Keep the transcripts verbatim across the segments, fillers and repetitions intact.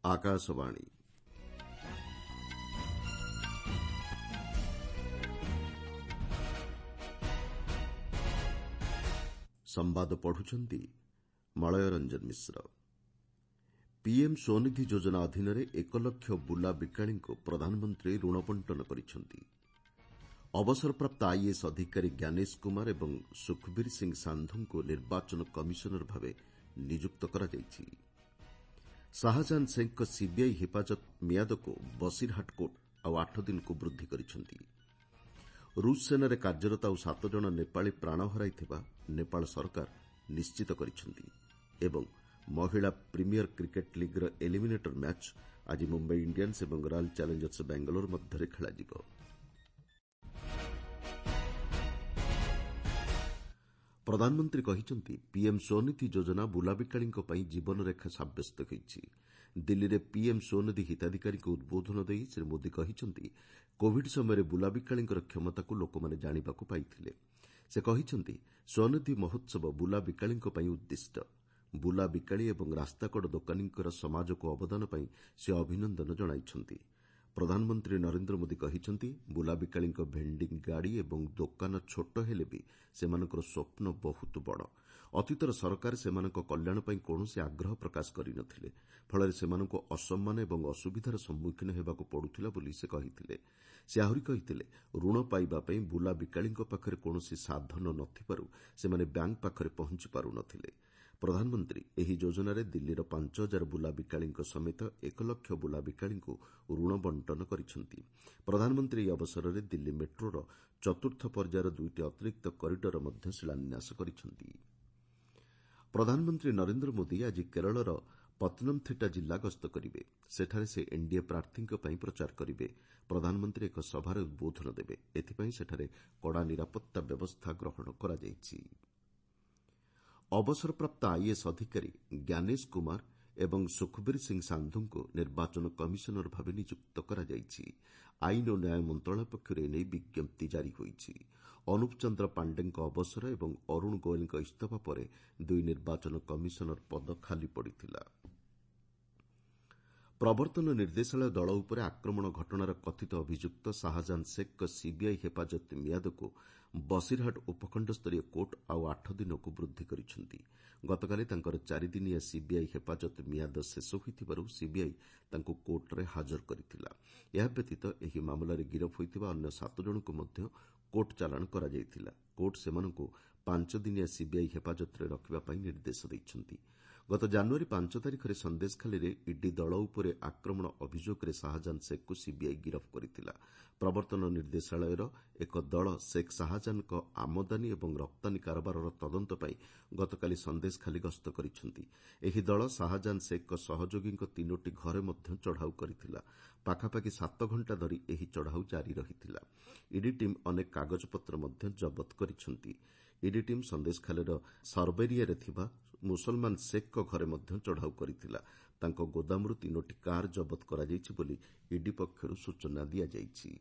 ଆକାଶବାଣୀ। ସମ୍ବାଦ ପଢୁଛନ୍ତି ମଳୟ ରଞ୍ଜନ ମିଶ୍ର। ପିଏମ୍ ସ୍ୱନିଧି ଯୋଜନା ଅଧୀନରେ ଏକ ଲକ୍ଷ ବୁଲା ବିକାଳୀଙ୍କୁ ପ୍ରଧାନମନ୍ତ୍ରୀ ଋଣ ବଣ୍ଟନ କରିଛନ୍ତି। ଅବସରପ୍ରାପ୍ତ ଆଇଏଏସ୍ ଅଧିକାରୀ ଜ୍ଞାନେଶ କୁମାର ଏବଂ ସୁଖବୀର ସିଂ ସାନ୍ଧୁଙ୍କୁ ନିର୍ବାଚନ କମିଶନର ଭାବେ ନିଯୁକ୍ତ କରାଯାଇଛି। ଶାହଜାହାନ ଶେଖ୍ଙ୍କ ସିବିଆଇ ହେପାଜତ ମିଆଦକୁ ବସିରହାଟ କୋର୍ଟ ଆଉ ଆଠ ଦିନକୁ ବୃଦ୍ଧି କରିଛନ୍ତି। ରୁଷ୍ ସେନାରେ କାର୍ଯ୍ୟରତ ଆଉ ସାତ ଜଣ ନେପାଳୀ ପ୍ରାଣ ହରାଇଥିବା ନେପାଳ ସରକାର ନିଶ୍ଚିତ କରିଛନ୍ତି ଏବଂ ମହିଳା ପ୍ରିମିୟର କ୍ରିକେଟ୍ ଲିଗ୍ର ଏଲିମିନେଟର ମ୍ୟାଚ୍ ଆଜି ମୁମ୍ବାଇ ଇଣ୍ଡିଆନ୍ସ ଏବଂ ରୟାଲ୍ ଚ୍ୟାଲେଞ୍ଜର୍ସ ବାଙ୍ଗାଲୋର ମଧ୍ୟରେ ଖେଳାଯିବ। ପ୍ରଧାନମନ୍ତ୍ରୀ କହିଛନ୍ତି, ପିଏମ୍ ସ୍ୱନିଧି ଯୋଜନା ବୁଲାବିକାଳୀଙ୍କ ପାଇଁ ଜୀବନରେଖା ସାବ୍ୟସ୍ତ ହୋଇଛି। ଦିଲ୍ଲୀରେ ପିଏମ୍ ସ୍ୱନିଧି ହିତାଧିକାରୀଙ୍କୁ ଉଦ୍ବୋଧନ ଦେଇ ଶ୍ରୀ ମୋଦି କହିଛନ୍ତି, କୋଭିଡ୍ ସମୟରେ ବୁଲାବିକାଳୀଙ୍କର କ୍ଷମତାକୁ ଲୋକମାନେ ଜାଣିବାକୁ ପାଇଥିଲେ। ସେ କହିଛନ୍ତି, ସ୍ୱନିଧି ମହୋତ୍ସବ ବୁଲାବିକାଳୀଙ୍କ ପାଇଁ ଉଦ୍ଦିଷ୍ଟ। ବୁଲାବିକାଳୀ ଏବଂ ରାସ୍ତାକଡ଼ ଦୋକାନୀଙ୍କର ସମାଜକୁ ଅବଦାନ ପାଇଁ ସେ ଅଭିନନ୍ଦନ ଜଣାଇଛନ୍ତି। ପ୍ରଧାନମନ୍ତ୍ରୀ ନରେନ୍ଦ୍ର ମୋଦି କହିଛନ୍ତି, ବୁଲାବିକାଳୀଙ୍କ ଭେଣ୍ଡିଂ ଗାଡ଼ି ଏବଂ ଦୋକାନ ଛୋଟ ହେଲେ ବି ସେମାନଙ୍କର ସ୍ୱପ୍ନ ବହୁତ ବଡ଼। ଅତୀତର ସରକାର ସେମାନଙ୍କ କଲ୍ୟାଣ ପାଇଁ କୌଣସି ଆଗ୍ରହ ପ୍ରକାଶ କରିନଥିଲେ। ଫଳରେ ସେମାନଙ୍କୁ ଅସମ୍ମାନ ଏବଂ ଅସୁବିଧାର ସମ୍ମୁଖୀନ ହେବାକୁ ପଡୁଥିଲା ବୋଲି ସେ କହିଥିଲେ। ସେ ଆହୁରି କହିଥିଲେ, ଋଣ ପାଇବା ପାଇଁ ବୁଲାବିକାଳୀଙ୍କ ପାଖରେ କୌଣସି ସାଧନ ନଥିବାରୁ ସେମାନେ ବ୍ୟାଙ୍କ ପାଖରେ ପହଞ୍ଚି ପାରୁନଥିଲେ। ପ୍ରଧାନମନ୍ତ୍ରୀ ଏହି ଯୋଜନାରେ ଦିଲ୍ଲୀର ପାଞ୍ଚ ହଜାର ବୁଲାବିକାଳୀଙ୍କ ସମେତ ଏକ ଲକ୍ଷ ବୁଲାବିକାଳୀଙ୍କୁ ଋଣ ବଣ୍ଟନ କରିଛନ୍ତି। ପ୍ରଧାନମନ୍ତ୍ରୀ ଏହି ଅବସରରେ ଦିଲ୍ଲୀ ମେଟ୍ରୋର ଚତୁର୍ଥ ପର୍ଯ୍ୟାୟର ଦୁଇଟି ଅତିରିକ୍ତ କରିଡରର ମଧ୍ୟ ଶିଳାନ୍ୟାସ କରିଛନ୍ତି। ପ୍ରଧାନମନ୍ତ୍ରୀ ନରେନ୍ଦ୍ର ମୋଦି ଆଜି କେରଳର ପତନମ୍ଥିଟା ଜିଲ୍ଲା ଗସ୍ତ କରିବେ। ସେଠାରେ ସେ ଏନ୍ଡିଏ ପ୍ରାର୍ଥୀଙ୍କ ପାଇଁ ପ୍ରଚାର କରିବେ। ପ୍ରଧାନମନ୍ତ୍ରୀ ଏକ ସଭାରେ ଉଦ୍ବୋଧନ ଦେବେ। ଏଥିପାଇଁ ସେଠାରେ କଡ଼ା ନିରାପତ୍ତା ବ୍ୟବସ୍ଥା ଗ୍ରହଣ କରାଯାଇଛି। ଅବସରପ୍ରାପ୍ତ ଆଇଏଏସ୍ ଅଧିକାରୀ ଜ୍ଞାନେଶ କୁମାର ଏବଂ ସୁଖବୀର ସିଂ ସାନ୍ଧୁଙ୍କୁ ନିର୍ବାଚନ କମିଶନର ଭାବେ ନିଯୁକ୍ତ କରାଯାଇଛି। ଆଇନ ଓ ନ୍ୟାୟ ମନ୍ତ୍ରଣାଳୟ ପକ୍ଷରୁ ଏ ନେଇ ବିଜ୍ଞପ୍ତି ଜାରି ହୋଇଛି। ଅନୁପ ଚନ୍ଦ୍ର ପାଣ୍ଡେଙ୍କ ଅବସର ଏବଂ ଅରୁଣ ଗୋଏଲଙ୍କ ଇସ୍ତଫା ପରେ ଦୁଇ ନିର୍ବାଚନ କମିଶନର ପଦ ଖାଲି ପଡ଼ିଥିଲା। ପ୍ରବର୍ତ୍ତନ ନିର୍ଦ୍ଦେଶାଳୟ ଦଳ ଉପରେ ଆକ୍ରମଣ ଘଟଣାର କଥିତ ଅଭିଯୁକ୍ତ ଶାହଜାହାନ ଶେଖ୍ଙ୍କ ସିବିଆଇ ହେପାଜତ ମିଆଦକୁ ବସିରହାଟ ଉପଖଣ୍ଡସ୍ତରୀୟ କୋର୍ଟ ଆଉ ଆଠ ଦିନକୁ ବୃଦ୍ଧି କରିଛନ୍ତି। ଗତକାଲି ତାଙ୍କର ଚାରିଦିନିଆ ସିବିଆଇ ହେପାଜତ ମିଆଦ ଶେଷ ହୋଇଥିବାରୁ ସିବିଆଇ ତାଙ୍କୁ କୋର୍ଟରେ ହାଜର କରିଥିଲା। ଏହା ବ୍ୟତୀତ ଏହି ମାମଲାରେ ଗିରଫ ହୋଇଥିବା ଅନ୍ୟ ସାତ ଜଣଙ୍କୁ ମଧ୍ୟ କୋର୍ଟ ଚାଲାଣ କରାଯାଇଥିଲା। କୋର୍ଟ ସେମାନଙ୍କୁ ପାଞ୍ଚ ଦିନିଆ ସିବିଆଇ ହେପାଜତରେ ରଖିବା ପାଇଁ ନିର୍ଦ୍ଦେଶ ଦେଇଛନ୍ତି। ଗତ ଜାନୁଆରୀ ପାଞ୍ଚ ତାରିଖରେ ସନ୍ଦେଶଖାଲିରେ ଇଡି ଦଳ ଉପରେ ଆକ୍ରମଣ ଅଭିଯୋଗରେ ଶାହଜାହାନ ଶେଖ୍ଙ୍କୁ ସିବିଆଇ ଗିରଫ କରିଥିଲା। ପ୍ରବର୍ତ୍ତନ ନିର୍ଦ୍ଦେଶାଳୟର ଏକ ଦଳ ଶେଖ୍ ଶାହଜାହାନଙ୍କ ଆମଦାନୀ ଏବଂ ରପ୍ତାନୀ କାରବାରର ତଦନ୍ତ ପାଇଁ ଗତକାଲି ସନ୍ଦେଶଖାଲି ଗସ୍ତ କରିଛନ୍ତି। ଏହି ଦଳ ଶାହଜାହାନ ଶେଖ୍ଙ୍କ ସହଯୋଗୀଙ୍କ ତିନୋଟି ଘରେ ମଧ୍ୟ ଚଢ଼ାଉ କରିଥିଲା। ପାଖାପାଖି ସାତ ଘଣ୍ଟା ଧରି ଏହି ଚଢ଼ାଉ ଜାରି ରହିଥିଲା। ଇଡି ଟିମ୍ ଅନେକ କାଗଜପତ୍ର ମଧ୍ୟ ଜବତ କରିଛନ୍ତି। ଇଡି ଟିମ୍ ସନ୍ଦେଶଖାଲିର ସରବେରିଆରେ ଥିବା ମୁସଲମାନ ଶେଖ୍ଙ୍କ ଘରେ ମଧ୍ୟ ଚଢ଼ାଉ କରିଥିଲା। ତାଙ୍କ ଗୋଦାମରୁ ତିନୋଟି କାର୍ ଜବତ କରାଯାଇଛି ବୋଲି ଇଡି ପକ୍ଷରୁ ସୂଚନା ଦିଆଯାଇଛି।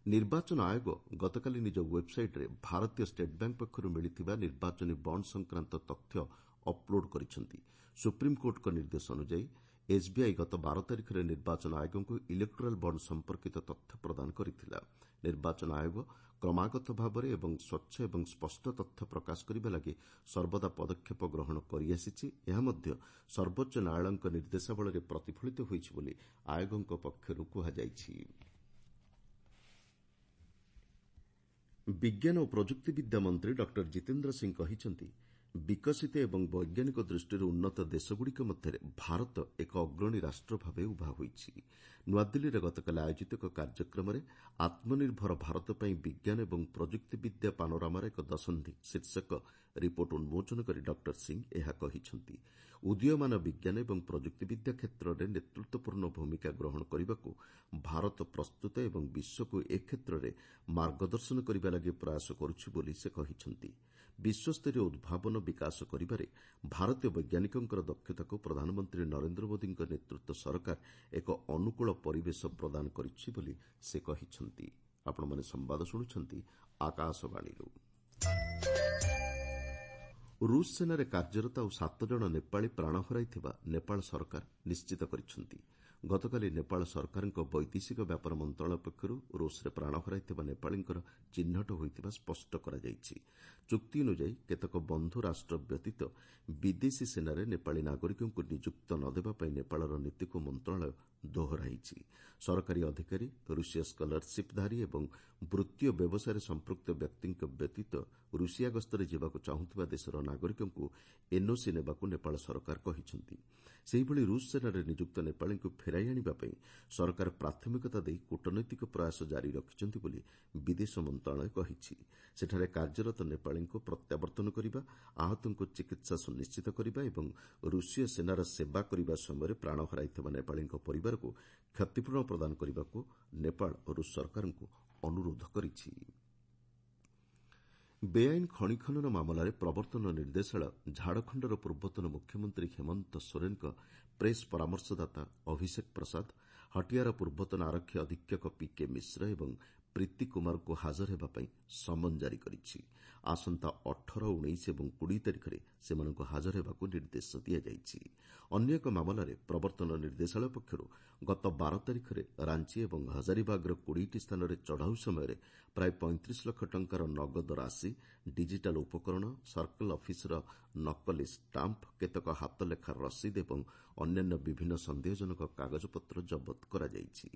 ନିର୍ବାଚନ ଆୟୋଗ ଗତକାଲି ନିଜ ୱେବ୍ସାଇଟ୍ରେ ଭାରତୀୟ ଷ୍ଟେଟ୍ ବ୍ୟାଙ୍କ ପକ୍ଷରୁ ମିଳିଥିବା ନିର୍ବାଚନୀ ବଣ୍ଡ ସଂକ୍ରାନ୍ତ ତଥ୍ୟ ଅପ୍ଲୋଡ୍ କରିଛନ୍ତି। ସୁପ୍ରିମକୋର୍ଟଙ୍କ ନିର୍ଦ୍ଦେଶ ଅନୁଯାୟୀ ଏସ୍ବିଆଇ ଗତ ବାର ତାରିଖରେ ନିର୍ବାଚନ ଆୟୋଗଙ୍କୁ ଇଲେକ୍ଟୋରାଲ୍ ବଣ୍ଡ ସମ୍ପର୍କିତ ତଥ୍ୟ ପ୍ରଦାନ କରିଥିଲା। ନିର୍ବାଚନ ଆୟୋଗ କ୍ରମାଗତ ଭାବରେ ଏବଂ ସ୍ୱଚ୍ଛ ଏବଂ ସ୍ପଷ୍ଟ ତଥ୍ୟ ପ୍ରକାଶ କରିବା ଲାଗି ସର୍ବଦା ପଦକ୍ଷେପ ଗ୍ରହଣ କରିଆସିଛି। ଏହା ମଧ୍ୟ ସର୍ବୋଚ୍ଚ ନ୍ୟାୟାଳୟଙ୍କ ନିର୍ଦ୍ଦେଶାବଳୀରେ ପ୍ରତିଫଳିତ ହୋଇଛି ବୋଲି ଆୟୋଗଙ୍କ ପକ୍ଷରୁ କୁହାଯାଇଛି। ବିଜ୍ଞାନ ଓ ପ୍ରଯୁକ୍ତିବିଦ୍ୟା ମନ୍ତ୍ରୀ ଡକ୍ଟର ଜିତେନ୍ଦ୍ର ସିଂ କହିଛନ୍ତି, ବିକଶିତ ଏବଂ ବୈଜ୍ଞାନିକ ଦୃଷ୍ଟିରୁ ଉନ୍ନତ ଦେଶଗୁଡ଼ିକ ମଧ୍ୟରେ ଭାରତ ଏକ ଅଗ୍ରଣୀ ରାଷ୍ଟ୍ର ଭାବେ ଉଭା ହୋଇଛି। ନୂଆଦିଲ୍ଲୀରେ ଗତକାଲି ଆୟୋଜିତ ଏକ କାର୍ଯ୍ୟକ୍ରମରେ ଆତ୍ମନିର୍ଭର ଭାରତ ପାଇଁ ବିଜ୍ଞାନ ଏବଂ ପ୍ରଯୁକ୍ତିବିଦ୍ୟା ପାନୋରାମାର ଏକ ଦଶନ୍ଧି ଶୀର୍ଷକ ରିପୋର୍ଟ ଉନ୍ମୋଚନ କରି ଡକ୍ଟର ସିଂ ଏହା କହିଛନ୍ତି। ଉଦୀୟମାନ ବିଜ୍ଞାନ ଏବଂ ପ୍ରଯୁକ୍ତିବିଦ୍ୟା କ୍ଷେତ୍ରରେ ନେତୃତ୍ୱପୂର୍ଣ୍ଣ ଭୂମିକା ଗ୍ରହଣ କରିବାକୁ ଭାରତ ପ୍ରସ୍ତୁତ ଏବଂ ବିଶ୍ୱକୁ ଏ କ୍ଷେତ୍ରରେ ମାର୍ଗଦର୍ଶନ କରିବା ଲାଗି ପ୍ରୟାସ କରୁଛି ବୋଲି ସେ କହିଛନ୍ତି। ବିଶ୍ୱସ୍ତରୀୟ ଉଦ୍ଭାବନ ବିକାଶ କରିବାରେ ଭାରତୀୟ ବୈଜ୍ଞାନିକଙ୍କର ଦକ୍ଷତାକୁ ପ୍ରଧାନମନ୍ତ୍ରୀ ନରେନ୍ଦ୍ର ମୋଦିଙ୍କ ନେତୃତ୍ୱ ସରକାର ଏକ ଅନୁକୂଳ ପରିବେଶ ପ୍ରଦାନ କରିଛି ବୋଲି ସେ କହିଛନ୍ତି। ଆପଣମାନେ ସମ୍ବାଦ ଶୁଣୁଛନ୍ତି ଆକାଶବାଣୀରୁ। ରୁଷ ସେନାରେ କାର୍ଯ୍ୟରତ ଆଉ ସାତ ଜଣ ନେପାଳୀ ପ୍ରାଣ ହରାଇଥିବା ନେପାଳ ସରକାର ନିଶ୍ଚିତ କରିଛନ୍ତି। ଗତକାଲି ନେପାଳ ସରକାରଙ୍କ ବୈଦେଶିକ ବ୍ୟାପାର ମନ୍ତ୍ରଣାଳୟ ପକ୍ଷରୁ ରୁଷରେ ପ୍ରାଣ ହରାଇଥିବା ନେପାଳୀଙ୍କର ଚିହ୍ନଟ ହୋଇଥିବା ସ୍ପଷ୍ଟ କରାଯାଇଛି। ଚୁକ୍ତି ଅନୁଯାୟୀ କେତେକ ବନ୍ଧୁ ରାଷ୍ଟ୍ର ବ୍ୟତୀତ ବିଦେଶୀ ସେନାରେ ନେପାଳୀ ନାଗରିକଙ୍କୁ ନିଯୁକ୍ତ ନ ଦେବା ପାଇଁ ନେପାଳର ନୀତିକୁ ମନ୍ତ୍ରଣାଳୟ ଦୋହରାଇଛି। ସରକାରୀ ଅଧିକାରୀ, ରୁଷୀୟ ସ୍କଲାରସିପ୍ଧାରୀ ଏବଂ ବୃତ୍ତି ଓ ବ୍ୟବସାୟରେ ସମ୍ପୃକ୍ତ ବ୍ୟକ୍ତିଙ୍କ ବ୍ୟତୀତ ରୁଷିଆ ଗସ୍ତରେ ଯିବାକୁ ଚାହୁଁଥିବା ଦେଶର ନାଗରିକଙ୍କୁ ଏନ୍ଓସି ନେବାକୁ ନେପାଳ ସରକାର କହିଛନ୍ତି। ସେହିଭଳି ରୁଷ ସେନାରେ ନିଯୁକ୍ତ ନେପାଳୀଙ୍କୁ ଫେରାଇ ଆଣିବା ପାଇଁ ସରକାର ପ୍ରାଥମିକତା ଦେଇ କୂଟନୈତିକ ପ୍ରୟାସ ଜାରି ରଖିଛନ୍ତି ବୋଲି ବିଦେଶ ମନ୍ତ୍ରଣାଳୟ କହିଛି। ସେଠାରେ କାର୍ଯ୍ୟରତ ନେପାଳୀଙ୍କୁ ପ୍ରତ୍ୟାବର୍ତ୍ତନ କରିବା, ଆହତଙ୍କୁ ଚିକିତ୍ସା ସୁନିଶ୍ଚିତ କରିବା ଏବଂ ରୁଷୀୟ ସେନାର ସେବା କରିବା ସମୟରେ ପ୍ରାଣ ହରାଇଥିବା ନେପାଳୀଙ୍କ ପରିବାରକୁ କ୍ଷତିପୂରଣ ପ୍ରଦାନ କରିବାକୁ ନେପାଳ ରୁଷ ସରକାରଙ୍କୁ ଅନୁରୋଧ କରିଛି। ବେଆଇନ ଖଣି ଖନନ ମାମଲାରେ ପ୍ରବର୍ତ୍ତନ ନିର୍ଦ୍ଦେଶାଳୟ ଝାଡ଼ଖଣ୍ଡର ପୂର୍ବତନ ମୁଖ୍ୟମନ୍ତ୍ରୀ ହେମନ୍ତ ସୋରେନଙ୍କ ପ୍ରେସ୍ ପରାମର୍ଶଦାତା ଅଭିଷେକ ପ୍ରସାଦ, ହଟିଆର ପୂର୍ବତନ ଆରକ୍ଷୀ ଅଧୀକ୍ଷକ ପିକେ ମିଶ୍ର ଏବଂ ପ୍ରୀତି କୁମାରଙ୍କୁ ହାଜର ହେବା ପାଇଁ ସମନ ଜାରି କରିଛି। ଆସନ୍ତା ଅଠର, ଉଣେଇଶ ଏବଂ କୋଡ଼ିଏ ତାରିଖରେ ସେମାନଙ୍କୁ ହାଜର ହେବାକୁ ନିର୍ଦ୍ଦେଶ ଦିଆଯାଇଛି। ଅନ୍ୟ ଏକ ମାମଲାରେ ପ୍ରବର୍ତ୍ତନ ନିର୍ଦ୍ଦେଶାଳୟ ପକ୍ଷରୁ ଗତ ବାର ତାରିଖରେ ରାଞ୍ଚି ଏବଂ ହଜାରିବାଗର କୋଡ଼ିଏଟି ସ୍ଥାନରେ ଚଢ଼ାଉ ସମୟରେ ପ୍ରାୟ ପଇଁତିରିଶ ଲକ୍ଷ ଟଙ୍କାର ନଗଦ ରାଶି, ଡିଜିଟାଲ ଉପକରଣ, ସର୍କଲ ଅଫିସର ନକଲି ଷ୍ଟାମ୍ପ, କେତେକ ହାତଲେଖା ରସିଦ ଏବଂ ଅନ୍ୟାନ୍ୟ ବିଭିନ୍ନ ସନ୍ଦେହଜନକ କାଗଜପତ୍ର ଜବତ କରାଯାଇଛି।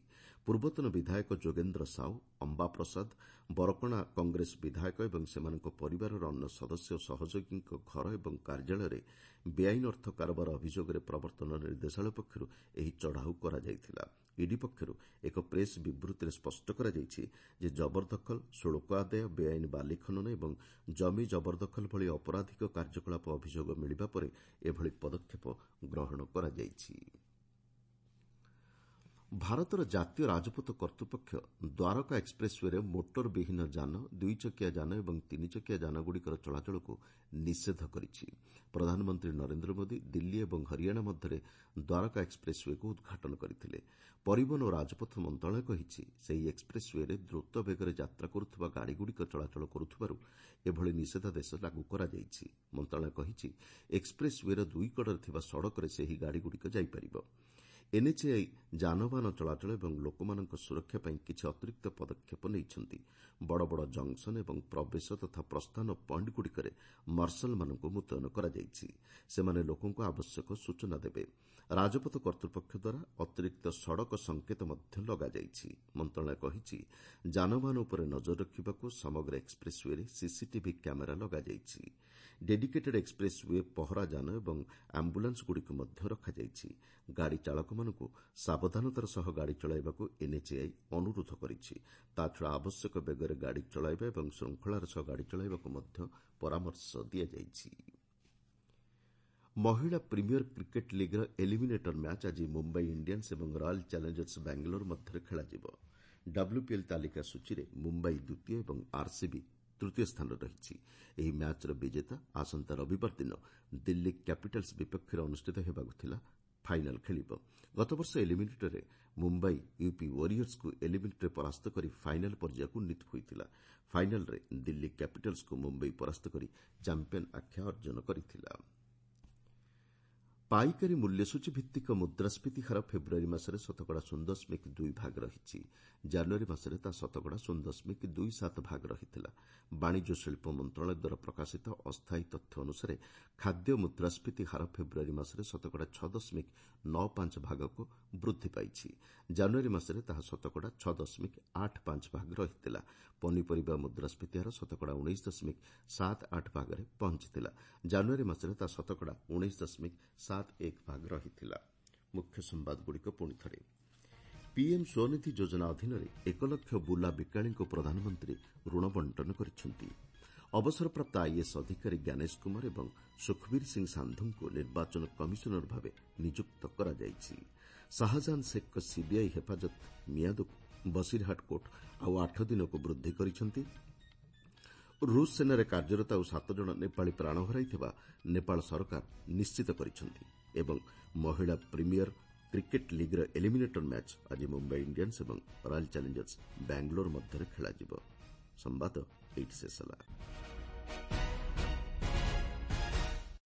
ପୂର୍ବତନ ବିଧାୟକ ଯୋଗେନ୍ଦ୍ର ସାହୁ, ଅମ୍ବା ପ୍ରସାଦ, ବରକଣା କଂଗ୍ରେସ ବିଧାୟକ ଏବଂ ସେମାନଙ୍କ ପରିବାରର ଅନ୍ୟ ସଦସ୍ୟ ଓ ସହଯୋଗୀଙ୍କ ଘର ଏବଂ କାର୍ଯ୍ୟାଳୟରେ ବେଆଇନ ଅର୍ଥ କାରବାର ଅଭିଯୋଗରେ ପ୍ରବର୍ତ୍ତନ ନିର୍ଦ୍ଦେଶାଳୟ ପକ୍ଷରୁ ଏହି ଚଢ଼ାଉ କରାଯାଇଥିଲା। ଇଡି ପକ୍ଷରୁ ଏକ ପ୍ରେସ୍ ବିବୃତ୍ତିରେ ସ୍ପଷ୍ଟ କରାଯାଇଛି ଯେ ଜବରଦଖଲ, ଶୁଳ୍କ ଆଦାୟ, ବେଆଇନ ବାଲି ଖନନ ଏବଂ ଜମି ଜବରଦଖଲ ଭଳି ଅପରାଧିକ କାର୍ଯ୍ୟକଳାପ ଅଭିଯୋଗ ମିଳିବା ପରେ ଏଭଳି ପଦକ୍ଷେପ ଗ୍ରହଣ କରାଯାଇଛି। ଭାରତର ଜାତୀୟ ରାଜପଥ କର୍ତ୍ତୃପକ୍ଷ ଦ୍ୱାରକା ଏକ୍ସପ୍ରେସ୍ ୱେରେ ମୋଟର ବିହୀନ ଯାନ, ଦୁଇଚକିଆ ଯାନ ଏବଂ ତିନିଚକିଆ ଯାନଗୁଡ଼ିକର ଚଳାଚଳକୁ ନିଷେଧ କରିଛି। ପ୍ରଧାନମନ୍ତ୍ରୀ ନରେନ୍ଦ୍ର ମୋଦି ଦିଲ୍ଲୀ ଏବଂ ହରିୟାଣା ମଧ୍ୟରେ ଦ୍ୱାରକା ଏକ୍ସପ୍ରେସ୍ ୱେକୁ ଉଦ୍ଘାଟନ କରିଥିଲେ। ପରିବହନ ଓ ରାଜପଥ ମନ୍ତ୍ରଣାଳୟ କହିଛି, ସେହି ଏକ୍ସପ୍ରେସ୍ ୱେରେ ଦ୍ରୁତ ବେଗରେ ଯାତ୍ରା କରୁଥିବା ଗାଡ଼ିଗୁଡ଼ିକ ଚଳାଚଳ କରୁଥିବାରୁ ଏଭଳି ନିଷେଧାଦେଶ ଲାଗୁ କରାଯାଇଛି। ମନ୍ତ୍ରଣାଳୟ କହିଛି, ଏକ୍ସପ୍ରେସ୍ ୱେର ଦୁଇ କଡ଼ରେ ଥିବା ସଡ଼କରେ ସେହି ଗାଡ଼ିଗୁଡ଼ିକ ଯାଇପାରିବ। ଏନ୍ଏଚ୍ଏଆଇ ଯାନବାହନ ଚଳାଚଳ ଏବଂ ଲୋକମାନଙ୍କ ସୁରକ୍ଷା ପାଇଁ କିଛି ଅତିରିକ୍ତ ପଦକ୍ଷେପ ନେଇଛନ୍ତି। ବଡ଼ ବଡ଼ ଜଙ୍କସନ୍ ଏବଂ ପ୍ରବେଶ ତଥା ପ୍ରସ୍ଥାନ ପଏଣ୍ଟଗୁଡ଼ିକରେ ମାର୍ଶାଲମାନଙ୍କୁ ମୁତୟନ କରାଯାଇଛି। ସେମାନେ ଲୋକଙ୍କୁ ଆବଶ୍ୟକ ସୂଚନା ଦେବେ। ରାଜପଥ କର୍ତ୍ତୃପକ୍ଷ ଦ୍ୱାରା ଅତିରିକ୍ତ ସଡ଼କ ସଙ୍କେତ ମଧ୍ୟ ଲଗାଯାଇଛି। ମନ୍ତ୍ରଣାଳୟ କହିଛି, ଯାନବାହନ ଉପରେ ନଜର ରଖିବାକୁ ସମଗ୍ର ଏକ୍ସପ୍ରେସ୍ ୱେରେ ସିସିଟିଭି କ୍ୟାମେରା ଲଗାଯାଇଛି। ଡେଡିକେଟେଡ୍ ଏକ୍ସପ୍ରେସ୍ ୱେ ପହରା ଯାନ ଏବଂ ଆମ୍ବୁଲାନ୍ସଗୁଡ଼ିକୁ ମଧ୍ୟ ରଖାଯାଇଛି। ଗାଡ଼ି ଚାଳକମାନଙ୍କୁ ସାବଧାନତାର ସହ ଗାଡ଼ି ଚଳାଇବାକୁ ଏନ୍ଏଚ୍ଏଆଇ ଅନୁରୋଧ କରିଛି। ତାଛଡ଼ା ଆବଶ୍ୟକ ବେଗରେ ଗାଡ଼ି ଚଳାଇବା ଏବଂ ଶୃଙ୍ଖଳାର ସହ ଗାଡ଼ି ଚଳାଇବାକୁ ମଧ୍ୟ ପରାମର୍ଶ ଦିଆଯାଇଛି। ମହିଳା ପ୍ରିମିୟର କ୍ରିକେଟ୍ ଲିଗ୍ର ଏଲିମିନେଟର ମ୍ୟାଚ୍ ଆଜି ମୁମ୍ବାଇ ଇଣ୍ଡିଆନ୍ସ ଏବଂ ରୟାଲ୍ ଚ୍ୟାଲେଞ୍ଜର୍ସ ବାଙ୍ଗାଲୋର ମଧ୍ୟରେ ଖେଳାଯିବ। ଡବ୍ଲ୍ୟୁପିଏଲ୍ ତାଲିକା ସୂଚୀରେ ମୁମ୍ବାଇ ଦ୍ୱିତୀୟ ଏବଂ ଆର୍ସିବି ତୃତୀୟ ସ୍ଥାନରେ ରହିଛି। ଏହି ମ୍ୟାଚ୍ର ବିଜେତା ଆସନ୍ତା ରବିବାର ଦିନ ଦିଲ୍ଲୀ କ୍ୟାପିଟାଲ୍ସ ବିପକ୍ଷରେ ଅନୁଷ୍ଠିତ ହେବାକୁ ଥିଲା ଫାଇନାଲ୍ ଖେଳିବ। ଗତବର୍ଷ ଏଲିମିନେଟରରେ ମୁମ୍ବାଇ ୟୁପି ୱାରିୟର୍ସକୁ ଏଲିମିନେଟରରେ ପରାସ୍ତ କରି ଫାଇନାଲ୍ ପର୍ଯ୍ୟାୟକୁ ଉନ୍ନୀତ ହୋଇଥିଲା। ଫାଇନାଲ୍ରେ ଦିଲ୍ଲୀ କ୍ୟାପିଟାଲ୍ସକୁ ମୁମ୍ବାଇ ପରାସ୍ତ କରି ଚାମ୍ପିୟନ୍ ଆଖ୍ୟା ଅର୍ଜନ କରିଥିଲା। ପାଇକାରୀ ମୂଲ୍ୟସୂଚୀ ଭିତ୍ତିକ ମୁଦ୍ରାସ୍ଫୀତି ହାର ଫେବୃୟାରୀ ମାସରେ ଶତକଡ଼ା ଶୂନ ଦଶମିକ ଦୁଇ ଭାଗ ରହିଛି। ଜାନୁଆରୀ ମାସରେ ତାହା ଶତକଡ଼ା ଶୂନ ଦଶମିକ ଦୁଇ ସାତ ଭାଗ ରହିଥିଲା। ବାଣିଜ୍ୟ ଶିଳ୍ପ ମନ୍ତ୍ରଣାଳୟ ଦ୍ୱାରା ପ୍ରକାଶିତ ଅସ୍ଥାୟୀ ତଥ୍ୟ ଅନୁସାରେ ଖାଦ୍ୟ ମୁଦ୍ରାସ୍ଫୀତି ହାର ଫେବୃୟାରୀ ମାସରେ ଶତକଡ଼ା ଛଅ ଦଶମିକ ନଅ ପାଞ୍ଚ ଭାଗକୁ ବୃଦ୍ଧି ପାଇଛି। ଜାନୁଆରୀ ମାସରେ ତାହା ଶତକଡ଼ା ଛଅ ଦଶମିକ ଆଠ ପାଞ୍ଚ ଭାଗ ରହିଥିଲା। ପନିପରିବା ମୁଦ୍ରାସ୍ଫୀତି ହାର ଶତକଡ଼ା ଉଣେଇଶ ଦଶମିକ ସାତ ଆଠ ଭାଗରେ ପହଞ୍ଚିଥିଲା। ଜାନୁଆରୀ ମାସରେ ତାହା ଶତକଡ଼ା ଉଣେଇଶ ଦଶମିକ ସାତ ଏକ ଭାଗ ରହିଥିଲା। ମୁଖ୍ୟ ସମ୍ବାଦଗୁଡ଼ିକ ପୁଣି ଥରେ। ପିଏମ୍ ସ୍ୱନିଧି ଯୋଜନା ଅଧୀନରେ ଏକ ଲକ୍ଷ ବୁଲା ବିକାଳୀଙ୍କୁ ପ୍ରଧାନମନ୍ତ୍ରୀ ଋଣ ବଣ୍ଟନ କରିଛନ୍ତି। ଅବସରପ୍ରାପ୍ତ ଆଇଏଏସ୍ ଅଧିକାରୀ ଜ୍ଞାନେଶ କୁମାର ଏବଂ ସୁଖବୀର ସିଂ ସାନ୍ଧୁଙ୍କୁ ନିର୍ବାଚନ କମିଶନର ଭାବେ ନିଯୁକ୍ତ କରାଯାଇଛି। ଶାହଜାହାନ ଶେଖ୍ଙ୍କ ସିବିଆଇ ହେଫାଜତ ମିଆଦକୁ ବସିରହାଟ କୋର୍ଟ ଆଉ ଆଠ ଦିନକୁ ବୃଦ୍ଧି କରିଛନ୍ତି। ରୁଷ ସେନାରେ କାର୍ଯ୍ୟରତ ଆଉ ସାତ ଜଣ ନେପାଳୀ ପ୍ରାଣ ହରାଇଥିବା ନେପାଳ ସରକାର ନିଶ୍ଚିତ କରିଛନ୍ତି। ଏବଂ ମହିଳା ପ୍ରିମିୟର କ୍ରିକେଟ୍ ଲିଗ୍ର ଏଲିମିନେଟର ମ୍ୟାଚ୍ ଆଜି ମୁମ୍ବାଇ ଇଣ୍ଡିଆନ୍ସ ଏବଂ ରୟାଲ୍ ଚ୍ୟାଲେଞ୍ଜର୍ସ ବାଙ୍ଗାଲୋର ମଧ୍ୟରେ ଖେଳାଯିବ। ସମ୍ବାଦ ଏଇଠି ଶେଷ ହେଲା।